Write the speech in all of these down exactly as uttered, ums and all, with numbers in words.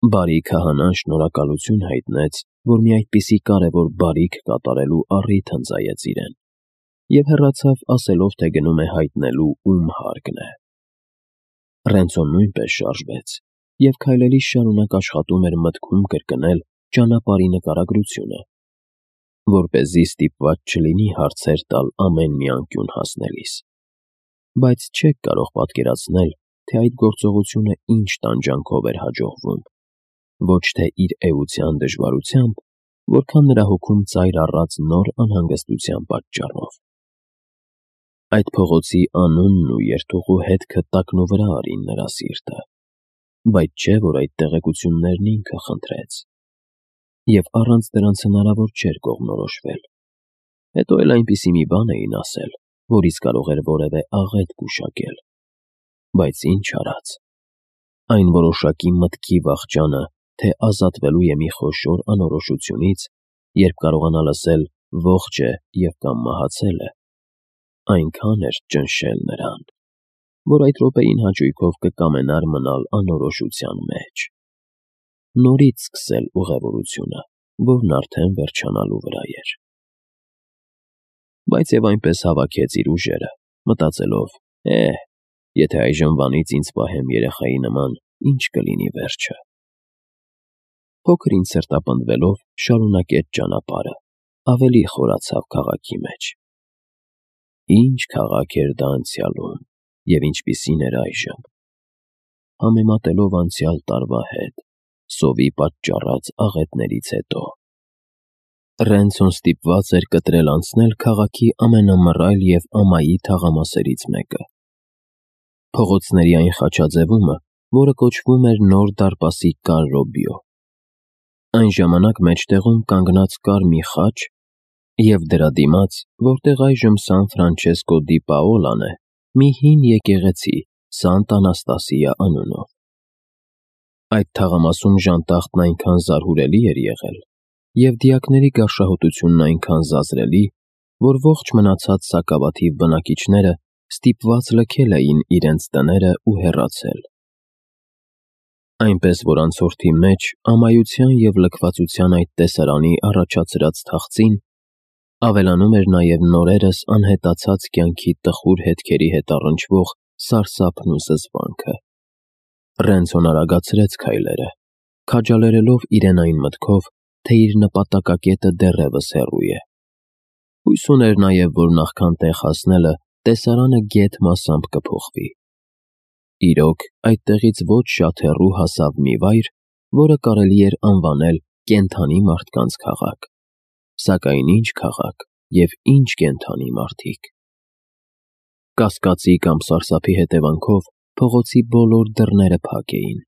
Բարի քահանան շնորհակալություն հայտնեց, որ մի այդպիսի կարևոր բարիք կատարելու առիթ ընծայեց իրեն, և հեռացավ ասելով, թե գնում է հայտնելու, ում հարկն է։ Ռենցոն նույնպես շարժվեց և քայլելիս շարունակ աշխատում էր մտքում կրկնել ճանապարհի նկարագրությունը, որպեսզի ստիպված չլինի հարցեր տալ ամեն մի անկյուն հասնելիս, բայց չեք կարող պատկերացնել, թե այդ գործողությունը ինչ տանջանքով էր հաջողվում, ոչ թե իր էության դժվարությամբ, որքան նրա հոգում ծայր առած նոր անհանգստության պատճառով։ Այդ փողոցի անունն ու երթուղու հետքը տակնուվրա արին նրա սիրտը, բայց չէ, որ այդ տեղեկություններն ինքը խնդրեց, և առանց դրանց հնարավոր չէր կողմնորոշվել։ Հետո էլ այնպիսի մի բան էին ասել, որից կարող էր որևէ աղետ գուշակել, բայց ինչ արած։ Այն որոշակի մտքի վախճանը, թե ազատվելու է մի խոշոր անորոշությունից, երբ կարողանա լսել ողջ է և կամ մահացել է, այնքան էր ճնշել նրան, որ այդ րոպեին հաճույքով կկամենար մնալ անորոշության մեջ, նորից սկսել ուղևորությունը, որն արդեն վերջանալու վրա էր։ Բայց և այնպես հավաքեց իր ուժերը, մտածելով. «Է՛հ, եթե այժմվանից ինձ պահեմ երեխայի նման, ինչ կլինի վերջը»։ Փոքր-ինչ սրտապնդվելով շարունակեց ճանապարհը, ավելի խորացավ քաղաքի մեջ։ Ինչ քաղաք էր դա անցյալում, և ինչպիսին էր այժմ։ Համեմատելով անցյալ տարվա հետ, սովի պատճառած աղետներից հետո։ Ռենցոն ստիպված էր կտրել անցնել քաղաքի ամենամռայլ և ամայի թաղամասերից մեկը։ Փողոցների այն խաչաձևումը, որը կոչվում էր Նոր դարպասի Կարրոբիո։ Այն ժամանակ մեջտեղում կանգնած կար մի խաչ, և դրա դիմաց, որտեղ այժմ Սան Ֆրանչեսկո դի Պաոլան է, մի հին եկեղեցի Սանտ Անաստասիա անունով։ Այդ թաղամասում ժանտախտն այնքան զարհուրելի էր եղել, և դիակների գարշահոտությունն այնքան զազրելի, որ ողջ մնացած սակավաթիվ բնակիչները ստիպված լքել էին իրենց տները ու հեռացել։ Այնպես որ անցորդի մեջ ամայության և լքվածության այդ տեսարանի առաջացրած թախծին ավելանում էր նաև նորերս անհետացած կյանքի տխուր հետքերի հետ առնչվող սարսափն ու զզվանքը։ Ռենցոն արագացրեց քայլերը, քաջալերելով իրեն այն մտքով, թե իր նպատակակետը դեռևս հեռու է։ Հույս ուներ նաև, որ նախքան տեղ հասնելը տեսարանը գեթ մասամբ կփոխվի։ Իրոք, այդտեղից ոչ շատ հեռու հասավ մի վայր, որը կարելի էր անվանել կենդանի մարդկանց քաղաք։ Սակայն ինչ քաղաք և ինչ կենդանի մարդիկ։ Կասկածի կամ սարսափի հետևանքով փողոցի բոլոր դռները փակ էին,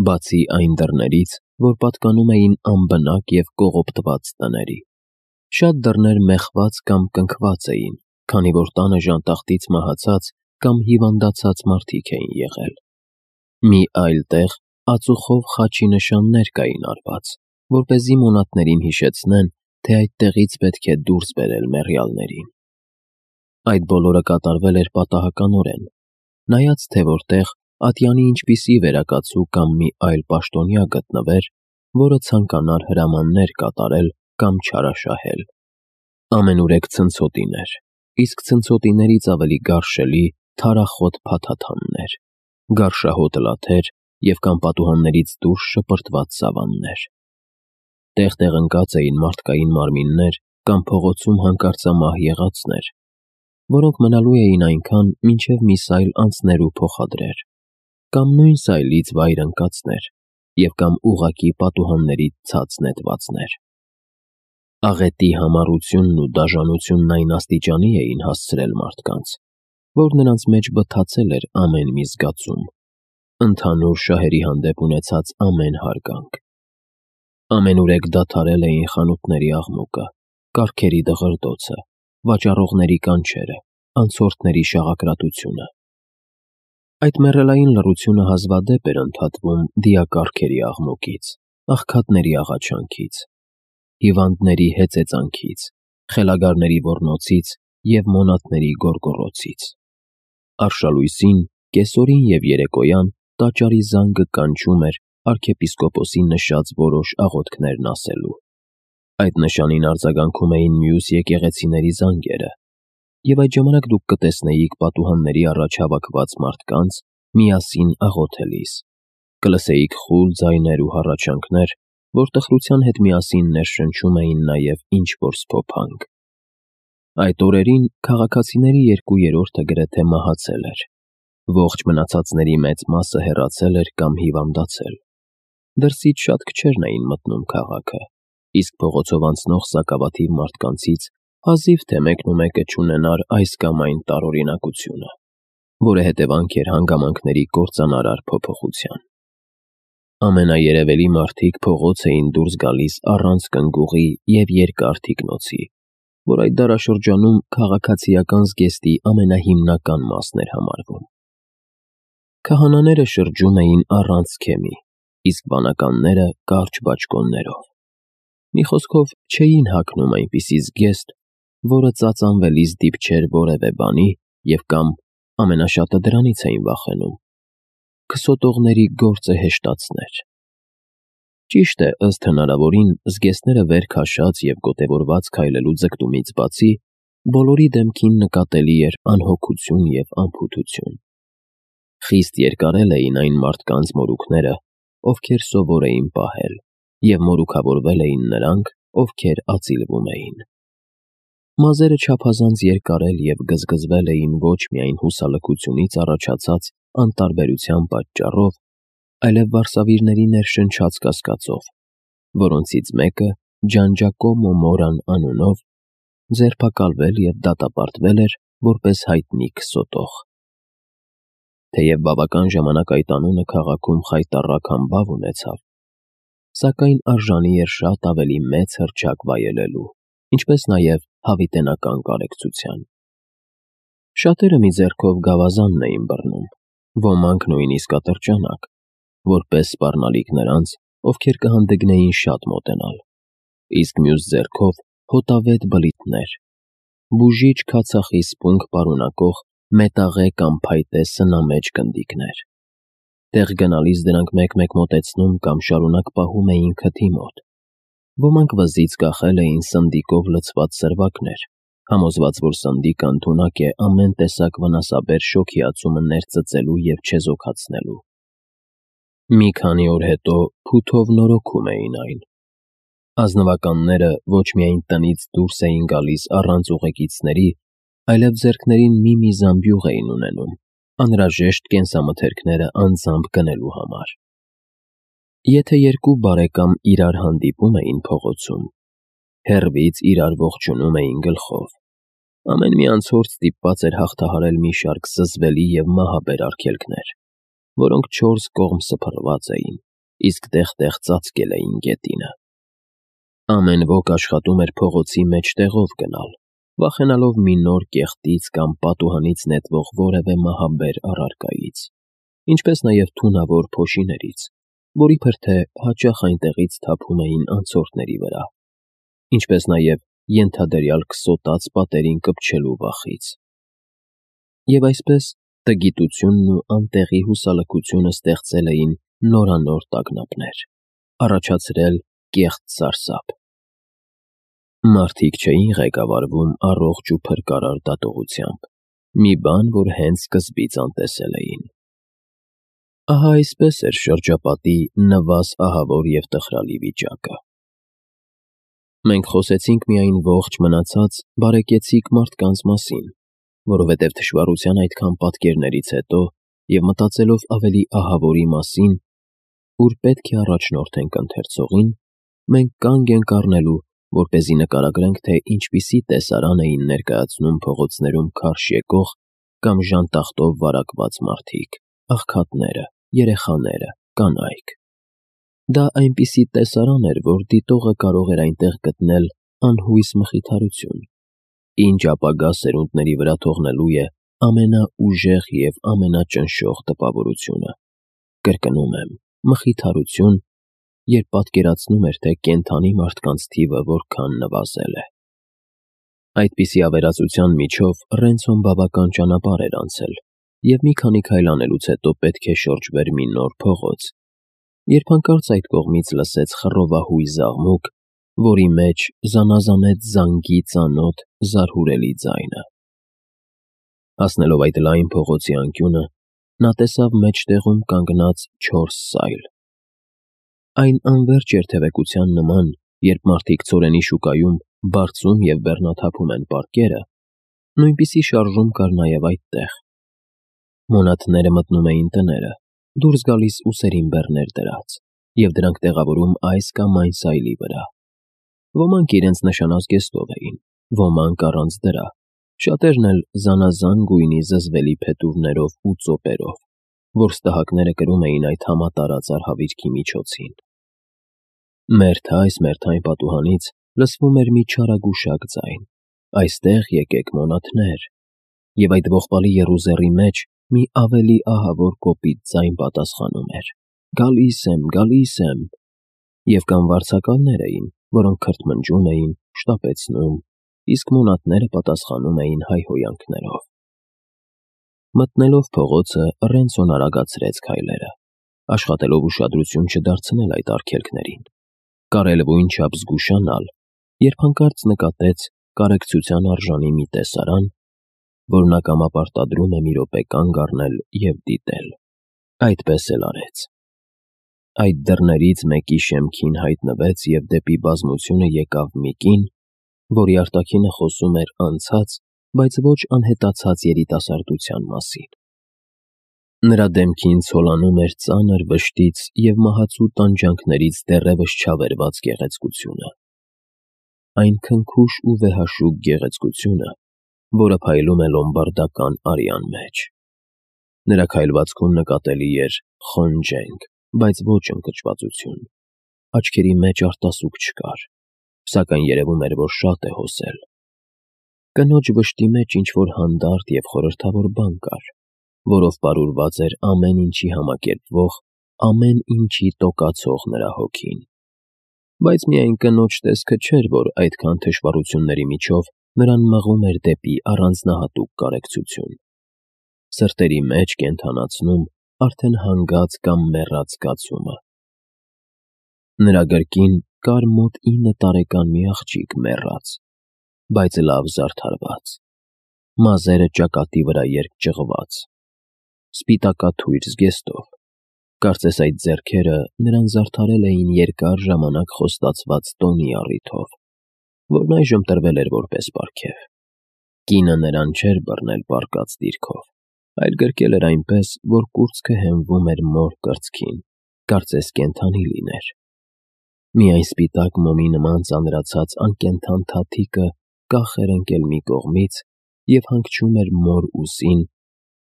բացի այն դռներից, որ պատկանում էին անբնակ և կողոպտված տների։ Շատ դռներ մեխված կամ կնքված էին, քանի որ տանը ժանտախտից մահացած կամ հիվանդացած մարդիկ էին եղել։ Մի այլ տեղ ածուխով խաչի նշաններ կային արված, որպեսզի մոնատներին հիշեցնեն, թե այդտեղից պետք է դուրս բերել մեռյալներին։ Այդ բոլորը կատարվել էր պատահականորեն, նայած թե որտեղ ատյանի ինչպիսի վերակացու կամ մի այլ պաշտոնյա գտնվեր, որը ցանկանար հրամաններ կատարել կամ չարաշահել։ Ամենուրեք ցնցոտիներ, իսկ ցնցոտիներից ավելի գարշելի թարախոտ փաթաթաններ, գարշահոտ լաթեր և կամ պատուհաններից դուրս շպրտված սավաններ։ Տեղ-տեղ ընկած էին մարդկային մարմիններ կամ փողոցում հանկարծամահ եղածներ, որոնք մնալու էին այնքան, մինչև մի սայլ անցներ ու փոխադրեր, կամ նույն սայլից վայր ընկածներ, և կամ ուղղակի պատուհաններից ցած նետվածներ։ Աղետի համառությունն ու դաժանությունն այն աստիճանի էին հասցրել մարդկանց, որ նրանց մեջ բթացել էր ամեն մի զգացում, ընդհանուր շահերի հանդեպ ունեցած ամեն հարգանք։ Ամենուրեք դադարել էին խանութների աղմուկը, կառքերի դղրդոցը, վաճառողների կանչերը, անցորդների շաղակրատությունը։ Այդ մեռելային լռությունը հազվադեպ էր ընդհատվում դիակառքերի աղմուկից, աղքատների աղաչանքից, հիվանդների հեծեծանքից, խելագարների ոռնոցից և մոնատների գոռգոռոցից։ Արշալույսին, կեսօրին և երեկոյան տաճարի զանգը կանչում էր arքեպիսկոպոսի նշած որոշ աղոթքներն ասելու։ Այդ նշանին արձագանքում էին մյուս եկեղեցիների զանգերը, եւ այդ ժամանակ դուք կտեսնեիք պատուհանների առաջ հավաքված մարդկանց միասին աղոթելիս, կլսեիք խուլ ձայներ ու հառաչանքներ, որ տխրության հետ միասին ներշնչում էին նաև ինչ-որ սփոփանք։ Այդ օրերին քաղաքացիների երկու երրորդը գրեթե մահացել էր, ողջ մնացածների մեծ մասը հեռացել էր կամ հիվանդացել։ Դրսից շատ քչերն էին մտնում քաղաքը, իսկ փողոցով անցնող սակավաթիվ մարդկանցից հազիվ թե մեկն ու մեկը չունենար այս կամ այն տարօրինակությունը, որը հետևանք էր հանգամանքների կործանարար փոփոխության։ Ամենաերևելի մարդիկ փողոց էին դուրս գալիս առանց կնգուղի և երկար թիկնոցի, որ այդ դարաշրջանում քաղաքացիական զգեստի ամենահիմնական մասն էր համարվում։ Քահանաները շրջում էին առանց սքեմի, իսկ վանականները կարճ բաճկոններով։ Մի խոսքով չէին հագնում այնպիսի զգեստ, որը ծածանվելիս դիպչեր որևէ բանի և կամ ամենաշատը դրանից էին վախենում՝ քսոտողների գործը հեշտացներ։ Ճիշտ է, ըստ հնարավորին, զգեստները վեր քաշած և գոտևորված քայլելու ձգտումից բացի, բոլորի դեմքին նկատելի էր անհոգություն և անփութություն։ Խիստ երկարել էին այն մարդկանց մորուքները, ովքեր սովոր էին պահել, և մորուքավորվել էին նրանք, ովքեր ածիլվում էին։ Մազերը չափազանց երկարել և գզգզվել էին ոչ միայն հուսալքությունից առաջացած անտարբերության պատճառով, այլև վարսավիրների ներշնչած կասկածով, որոնցից մեկը Ջանջակոմո Մորան անունով ձերբակալվել և դատապարտվել էր որպես հայտնի քսոտող։ Թեև բավական ժամանակ այդ անունը քաղաքում խայտառակ համբավ ունեցավ, սակայն արժանի էր շատ ավելի մեծ հռչակ վայելելու, ինչպես նաև հավիտենական կարեկցության։ Շատերը մի ձեռքով գավազանն էին բռնում, ոմանք նույնիսկ ատրճանակ, որպես սպառնալիք նրանց, ովքեր կհանդգնեին շատ մոտենալ, իսկ մյուս ձեռքով հոտավետ բլիթներ, բուժիչ քացախի սպունգ պարունակող մետաղե կամ փայտե սնամեջ գնդիկներ։ Տեղ գնալիս դրանք մեկ-մեկ մոտեցնում կամ շարունակ պահում էին քթի մոտ։ Ոմանք վզից կախել էին սնդիկով լցված սրվակներ, համոզված, որ սնդիկը ընդունակ է ամեն տեսակ վնասաբեր շոգիացումը ներծծելու և չեզոքացնելու։ Մի քանի օր հետո փութով նորոգում էին այն։ Ազնվականները ոչ միայն տնից դուրս էին գալիս առանց ուղեկիցների, այլև ձեռքներին մի-մի զամբյուղ էին ունենում, անհրաժեշտ կենսամթերքները անձամբ գնելու համար։ Եթե երկու բարեկամ իրար հանդիպում էին փողոցում, հեռվից իրար ողջունում էին գլխով։ Ամեն մի անցորդ ստիպված էր հաղթահարել մի շարք զզվելի և մահաբեր արգելքներ, որոնք չորս կողմ սփռված էին, իսկ տեղ-տեղ ծածկել էին գետինը։ Ամեն ոք աշխատում էր փողոցի մեջտեղով գնալ, վախենալով մի նոր կեղտից կամ պատուհանից նետվող որևէ մահաբեր առարկայից, ինչպես նաև թունավոր փոշիներից, որի փրթե հաճախ այնտեղից թափում էին անցորդների վրա, ինչպես նաև ենթադրյալ քսոտած պատերին կպչելու վախից։ Եվ այսպես տգիտությունն ու անտեղի հուսալքությունը ստեղծել էին նորանոր տագնապներ, առաջացրել կեղծ սարսափ։ Մարդիկ չէին ղեկավարվում առողջ ու փրկարար դատողությամբ, մի բան, որ հենց սկզբից անտեսել էին։ Ահա այսպես էր շրջապատի նվազ ահավոր և տխրալի վիճակը։ Մենք խոսեցինք միայն ողջ մնացած բարեկեցիկ մարդկանց մասին, որովհետև թշվառության այդքան պատկերներից հետո և մտածելով ավելի ահավորի մասին, ուր պետք է առաջնորդենք ընթերցողին, մենք կանգ ենք առնելու, որպեսզի նկարագրենք, թե ինչպիսի տեսարան էին ներկայացնում փողոցներում քարշ եկող կամ ժանտախտով վարակված մարդիկ, աղքատները, երեխաները, կանայք։ Դա այնպիսի տեսարան էր, որ դիտողը կարող էր այնտեղ գտնել անհույս մխիթարություն, ինչ ապագա սերունդների վրա թողնելու է ամենաուժեղ և ամենաճնշող տպավորությունը։ Կրկնում եմ, մխիթարություն, երբ պատկերացնում էր, թե կենդանի մարդկանց թիվը որքան նվազել է։ Այդպիսի ավերածության միջով Ռենցոն բավական ճանապարհ էր անցել, և մի քանի քայլ անելուց հետո պետք է շրջվեր մի նոր փողոց, երբ հանկարծ այդ կողմից լսեց խռովահույզ աղմուկ, որի մեջ զանազանեց զանգի ծանոթ զարհուրելի ձայնը։ Հասնելով այդ լայն փողոցի անկյունը, նա տեսավ մեջտեղում կանգնած չորս սայլ։ Այն անվերջ երթևեկության նման, երբ մարդիկ ցորենի շուկայում բարձում և բեռնաթափում են պարկերը, նույնպիսի շարժում կար նաև այդտեղ։ Մոնաթները մտնում էին տները, դուրս գալիս ուսերին բեռներ դրած, և դրանք տեղավորում այս կամ այն սայլի վրա։ Ոմանք իրենց նշանած գեստով էին, ոմանք առանց դրա, շատերն էլ զանազան գույնի զզվելի փետուրներով ու ծոպերով, որ ստահակները կրում էին այդ համատարած արհավիրքի միջոցին։ Մերթ այս, մերթ այն պատուհանից լսվում էր մի չարագուշակ ձայն. «Այստեղ եկեք, մոնաթներ», և այդ ողբալի եռուզեռի մեջ մի ավելի ահավոր կոպիտ ձայն պատասխանում էր. «Գալիս եմ, գալիս եմ», և կամ վարձակալներ էին, որոնք քրթմնջում էին, շտապեցնում, իսկ մոնաթները պատասխանում էին հայհոյանքներով։ Մտնելով փողոցը, Ռենցոն արագացրեց քայլերը, աշխատելով ուշադրություն չդարձնել այդ արգելքներին, կարելույն չափ զգուշանալ, երբ հանկարծ նկատեց կարեկցության արժանի մի տեսարան, որ նա կամապարտադրում է մի րոպե կանգ առնել և դիտել։ Այդպես էլ արեց։ Այդ դռներից մեկի շեմքին հայտնվեց և դեպի բազմությունը եկավ մի կին, որի արտաքինը խոսում էր անցած, բայց ոչ անհետացած երիտասարդության մասին։ Նրա դեմքին ցոլանում էր ծանր վշտից և մահացու տանջանքներից դեռևս չավերված գեղեցկությունը։ Այն քնքուշ ու վեհաշուկ գեղեցկությունը, որը փայլում է լոմբարդական արյան մեջ։ Նրա քայլվածքում նկատելի էր խոնջենք, բայց ոչ ընկճվածություն։ Աչքերի մեջ արտասուք չկար, սակայն երևում էր, որ շատ է հոսել։ Կնոջ վշտի մեջ ինչ-որ հանդարտ և խորհրդավոր բան կար, որով պարուրված էր ամեն ինչի համակերպվող, ամեն ինչի տոկացող նրա հոգին։ Բայց միայն կնոջ տեսքը չէր, որ այդքան թշվառությունների միջով նրան մղում էր դեպի առանձնահատուկ կարեկցություն, սրտերի մեջ կենդանացնում արդեն հանգած կամ մեռած զգացումը։ Նրա գրկին կար մոտ ինը տարեկան մի աղջիկ մեռած, բայց լավ զարդարված, մազերը ճակատի վրա երկճղված, սպիտակաթույր զգեստով, կարծես այդ ձեռքերը նրան զարդարել էին երկար ժամանակ խոստացված տոնի առիթով, որն այժմ տրվել էր որպես պարգև։ Կինը նրան չէր բռնել պառկած դիրքով, այլ գրկել էր այնպես, որ կուրծքը հենվում էր մոր կրծքին, կարծես կենդանի լիներ։ Միայն սպիտակ մոմի նման ծանրացած անկենդան թաթիկը կախ էր ընկել մի կողմից և հանգչում էր մոր ուսին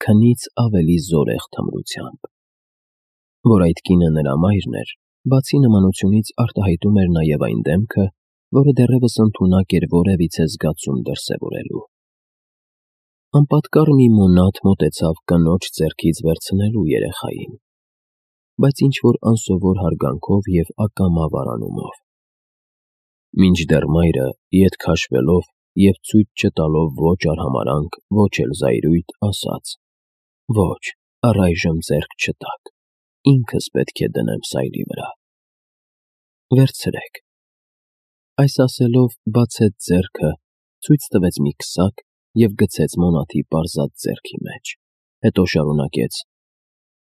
քնից ավելի զորեղ թմրությամբ։ Որ այդ կինը նրա մայրն էր, բացի նմանությունից արտահայտում էր նաև այն դեմքը, որը դեռևս ընդունակ էր որևիցե զգացում դրսևորելու։ Անպատկառ մի մոնաթ մոտեցավ կնոջ ձեռքից վերցնելու երեխային, բայց ինչ-որ անսովոր հարգանքով և ակամա վարանումով։ Մինչդեռ մայրը, ետ քաշվելով և ցույց չտալով ոչ արհամարհանք, ոչ էլ զայրույթ, ասաց. «Ոչ, առայժմ ձեռք չտաք, ինքս պետք է դնեմ սայլի վրա»։ «Վերցրեք»։ Այս ասելով բացեց ձեռքը, ցույց տվեց մի քսակ և գցեց մոնաթի պարզած ձեռքի մեջ, հետո շարունակեց.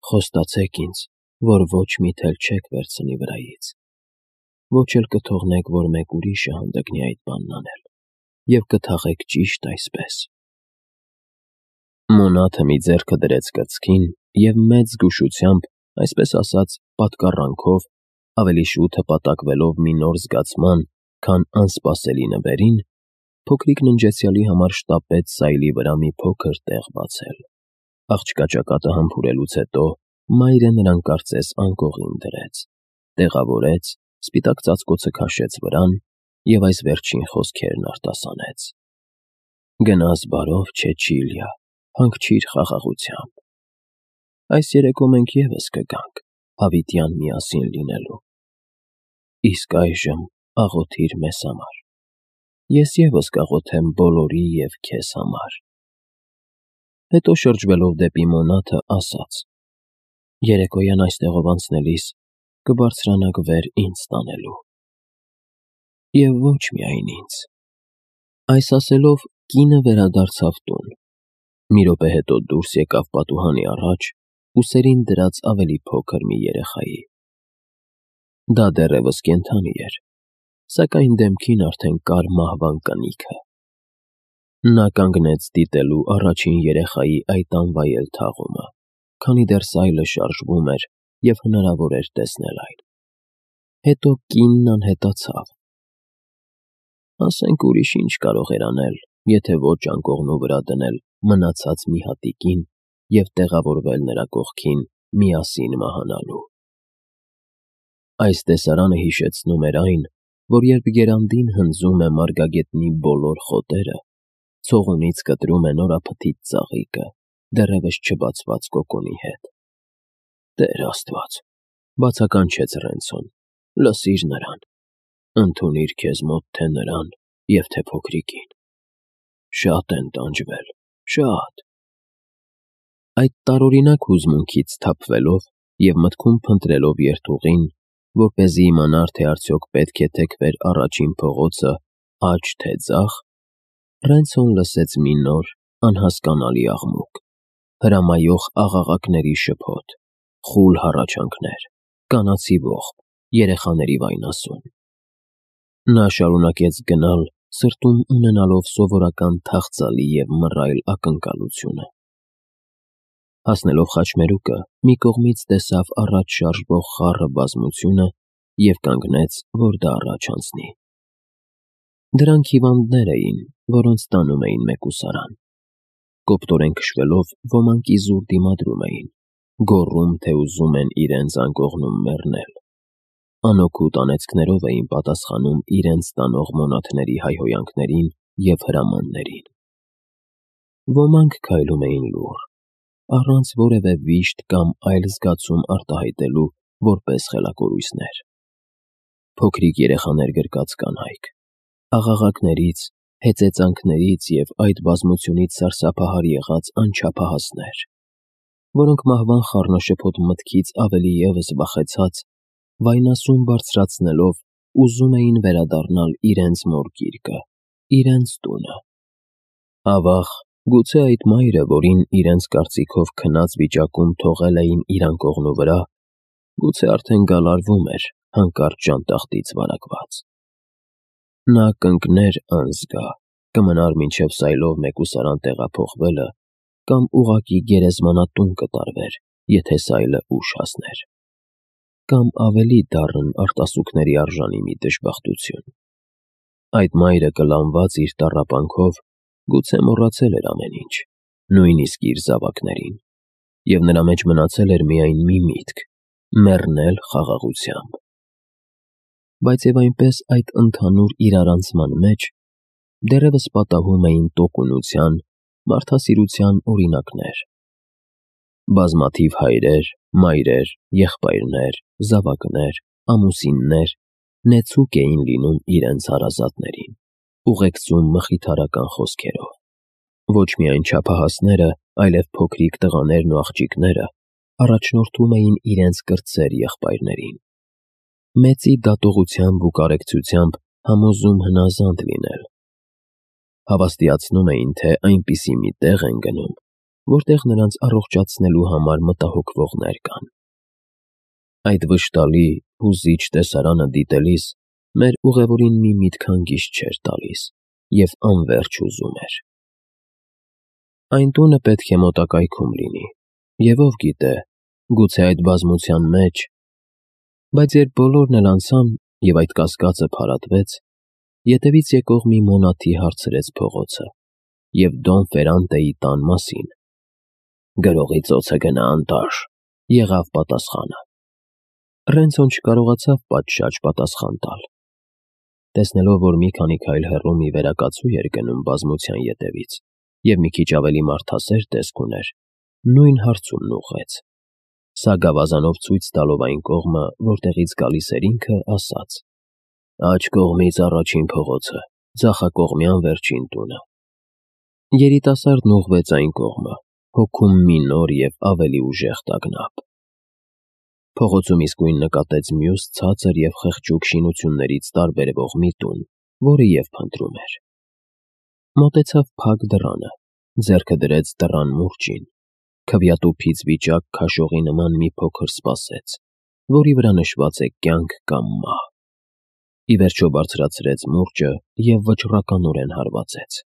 «Խոստացեք ինձ, որ ոչ մի թել չեք վերցնի վրայից, ոչ էլ կթողնեք, որ մեկ ուրիշը հանդգնի այդ բանն անել, և կթաղեք ճիշտ այսպես»։ Մոնաթը մի ձեռքը դրեց կրծքին և մեծ զգուշությամբ, այսպես ասած, պատկառանքով, ավելի շուտ հպատակվելով մի նոր զգացման, քան անսպասելի նվերին, փոքրիկ ննջեցյալի համար շտապեց սայլի վրա մի փոքր տեղ բացել։ Աղջկա ճակատը համբուրելուց հետո մայրը նրան կարծես անկողին դրեց, տեղավորեց, սպիտակ ծածկոցը քաշեց վրան և այս վերջին խոսքերն արտասանեց. «Գնաս բարով, Չեչիլիա, հանգչիր խաղաղությամբ։ Այս երեկո մենք ևս կգանք, հավիտյան միասին լինելու։ Իսկ այժմ աղոթիր մեզ համար, ես ևս կաղոթեմ բոլորի և քեզ համար»։ Հետո շրջվելով դեպի մոնաթը ասաց. «Երեկոյան այստեղով անցնելիս կբարձրանաք վեր ինձ տանելու։ Եվ ոչ միայն ինձ։ Այս ասելով կինը վերադարձավ տուն։ Մի րոպե հետո դուրս եկավ պատուհանի առաջ, ուսերին դրած ավելի փոքր մի երեխայի։ Դա դեռևս կենդանի էր, սակայն դեմքին արդեն կար մահվան կնիքը։ Նա կանգնեց դիտելու առաջին երեխայի այդ անվայել թաղումը, քանի դեռ սայլը շարժվում էր և հնարավոր էր տեսնել այն։ Հետո կինն անհետացավ։ Ասենք ուրիշ ինչ կարող էր անել, եթե ոչ անկողնու վրա դնել մնացած մի հատիկին և տեղավորվել նրա կողքին միասին մահանալու։ Այս տեսարանը հիշեցնում էր այն, որ երբ եռանդին հնձում է մարգագետնի բոլոր խոտերը, ցողունից կտրում է նորափթիթ ծաղիկը, դեռևս չբացված կոկոնի հետ։ Տեր Աստված, բացականչեց Ռենցոն, լսիր նրան, ընդունիր քեզ մոտ թե նրան և թե փոքրիկին։ Շատ են տանջվել, շատ։ Այդ տարօրինակ հուզմունքից թափվելով և մտքում փնտրելով երթուղին, որպեսզի իմանար, թե արդյոք պետք է թեքվեր առաջին փողոցը, աջ թե ձախ, Ռենցոն լսեց մի նոր, անհասկանալի աղմուկ, հրամայող աղաղակների շփոթ, խուլ հառաչանքներ, կանացի ողբ, երեխաների վայնասուն։ Նա շարունակեց գնալ, սրտում ունենալով սովորական թախծալի և մռայլ ակնկալությունը։ Հասնելով խաչմերուկը, մի կողմից տեսավ առաջ շարժվող խառը բազմությունը և կանգնեց, որ դա առաջ անցնի։ Դրանք հիվանդներ էին, որոնց տանում էին մեկուսարան։ Կոպտորեն քշվելով ոմանք իզուր դիմադրում էին, գոռում, թե ուզում են իրենց անկողնում մեռնել։ Անօգուտ անեծքներով էին պատասխանում իրենց տանող մոնաթների հայհոյանքներին և հրամաններին։ Ոմանք քայլում էին լուռ, առանց որևէ վիշտ կամ այլ զգացում արտահայտելու որպես խելակորույսներ։ Փոքրիկ երեխաներ գրկած կանայք, աղաղակներից, հեծեծանքներից և այդ բազմությունից սարսափահար եղած անչափահասներ, որոնք մահվան խառնաշփոթ մտքից ավելի ևս վախեցած, վայնասուն բարձրացնելով ուզում էին վերադառնալ իրենց մոր գիրկը, իրենց տունը։ Ավաղ, գուցե այդ մայրը, որին իրենց կարծիքով քնած վիճակում թողել էին իր անկողնու վրա, գուցե արդեն գալարվում էր հանկարծ ժանտախտից վարակված։ Նա կընկներ անզգա, կմնար մինչև սայլով մեկուսարան տեղափոխվելը կամ ուղղակի գերեզմանատուն կտարվեր, եթե սայլը ուշ հասներ։ Կամ ավելի դառն արտասուքների արժանի մի դժբախտություն։ Այդ մայրը կլանված իր տառապանքով գուցե մոռացել էր ամեն ինչ, նույնիսկ իր զավակներին, և նրա մեջ մնացել էր միայն մի միտք՝ մեռնել խաղաղությամբ։ Բայց և այնպես այդ ընդհանուր իրարանցման մեջ դեռևս պատահում էին տոկունության, մարդասիրության օրինակներ։ Բազմաթիվ հայրեր, մայրեր, եղբայրներ, զավակներ, ամուսիններ նեցուկ էին լինում իրենց հարազատներին, ուղեկցում մխիթարական խոսքերով։ Ոչ միայն չափահասները, այլև փոքրիկ տղաներն ու աղջիկները առաջնորդում էին իրենց կրտսեր եղբայրներին, մեծի դատողությամբ ու կարեկցությամբ համոզում հնազանդ լինել։ Հավաստիացնում էին, թե այնպիսի մի տեղ են գնում, որտեղ նրանց առողջացնելու համար մտահոգվողներ կան։ Այդ վշտալի, հուզիչ տեսարանը դիտելիս մեր ուղևորին մի միտք հանգիստ չէր տալիս և անվերջ ուզում էր։ Այն տունը պետք է մոտակայքում լինի, և ով գիտե, գուցե այդ բազմության մեջ… Բայց երբ բոլորն էլ անցան, և այդ կասկածը փարատվեց, ետևից եկող մի մոնաթի հարցրեց փողոցը և Դոն Ֆերանտեի տան մասին։ «Գրողի ծոցը գնա անտաշ», եղավ պատասխանը։ Ռենցոն չկարողացավ պատշաճ պատասխան տալ։ Տեսնելով, որ մի քանի քայլ հեռու մի վերակացու էր գնում բազմության ետևից և մի քիչ ավելի մարդասեր տեսք ուներ, նույն հարցումն ուղղեց։ Սա գավազանով ցույց տալով այն կողմը, որտեղից գալիս էր ինքը, ասաց. «Աջ կողմից առաջին փողոցը, ձախակողմյան վերջին տունը»։ Երիտասարդն ուղղվեց այն կողմը, հոգում մի նոր և ավելի ուժեղ տագնապ։ Փողոցում իսկույն նկատեց մյուս ցածր և խղճուկ շինություններից տարբերվող մի տուն, որը և փնտրում էր։ Մոտեցավ փակ դռանը, ձեռքը դրեց դռան մուրջին, քվյատուփից վիճակ քաշողի նման մի փոքր սպասեց, որի վրա նշված է կյանք կամ մահ։ Ի վերջո բարձրացրեց մուրջը և վճռականորեն հարվածեց։